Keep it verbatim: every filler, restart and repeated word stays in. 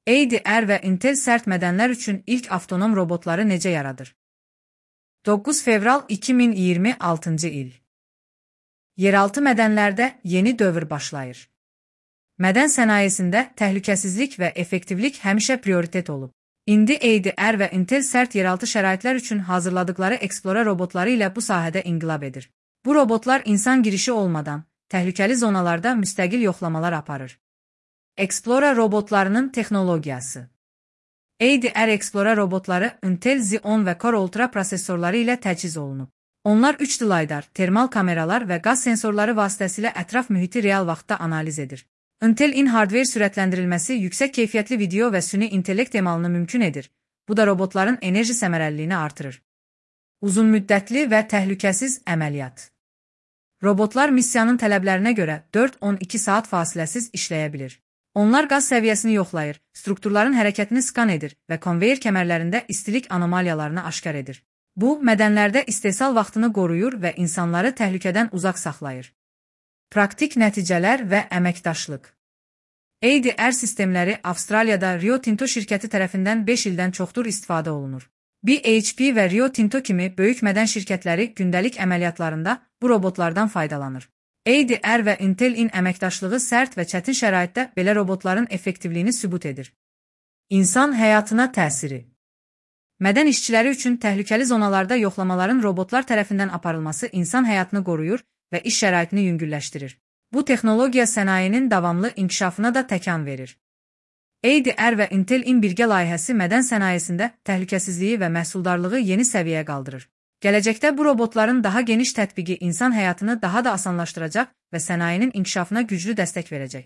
A D R və Intel sərt mədənlər üçün ilk avtonom robotları necə yaradır? doqquz fevral iki min iyirmi altıncı il. Yeraltı mədənlərdə yeni dövr başlayır. Mədən sənayesində təhlükəsizlik və effektivlik həmişə prioritet olub. İndi A D R və Intel sərt yeraltı şəraitlər üçün hazırladıkları Explorer robotları ilə bu sahədə inqilab edir. Bu robotlar insan girişi olmadan təhlükəli zonalarda müstəqil yoxlamalar aparır. Explorer robotlarının texnologiyası. A D R Explorer robotları Intel Xeon və Core Ultra prosesorları ilə təchiz olunub. Onlar üç D LiDAR, termal kameralar və qaz sensorları vasitəsilə ətraf mühiti real vaxtda analiz edir. Intel in-hardware sürətləndirilməsi yüksək keyfiyyətli video və süni intellekt emalını mümkün edir. Bu da robotların enerji səmərəliliyini artırır. Uzunmüddətli və təhlükəsiz əməliyyat. Robotlar missiyanın tələblərinə görə dörd on iki saat fasiləsiz işləyə bilir. Onlar qaz səviyyəsini yoxlayır, strukturların hərəkətini skan edir və konveyer kəmərlərində istilik anomaliyalarını aşkar edir. Bu, mədənlərdə istehsal vaxtını qoruyur və insanları təhlükədən uzaq saxlayır. Praktik nəticələr və əməkdaşlıq. A D R sistemləri Avstraliyada Rio Tinto şirkəti tərəfindən beş ildən çoxdur istifadə olunur. B H P və Rio Tinto kimi böyük mədən şirkətləri gündəlik əməliyyatlarında bu robotlardan faydalanır. A D R və Intel-in əməkdaşlığı sərt və çətin şəraitdə belə robotların effektivliyini sübut edir. İnsan həyatına təsiri. Mədən işçiləri üçün təhlükəli zonalarda yoxlamaların robotlar tərəfindən aparılması insan həyatını qoruyur və iş şəraitini yüngülləşdirir. Bu texnologiya sənayenin davamlı inkişafına da təkan verir. A D R və Intel-in birgə layihəsi mədən sənayesində təhlükəsizliyi və məhsuldarlığı yeni səviyyəyə qaldırır. Gələcəkdə bu robotların daha geniş tətbiqi insan həyatını daha da asanlaşdıracaq və sənayenin inkişafına güclü dəstək verəcək.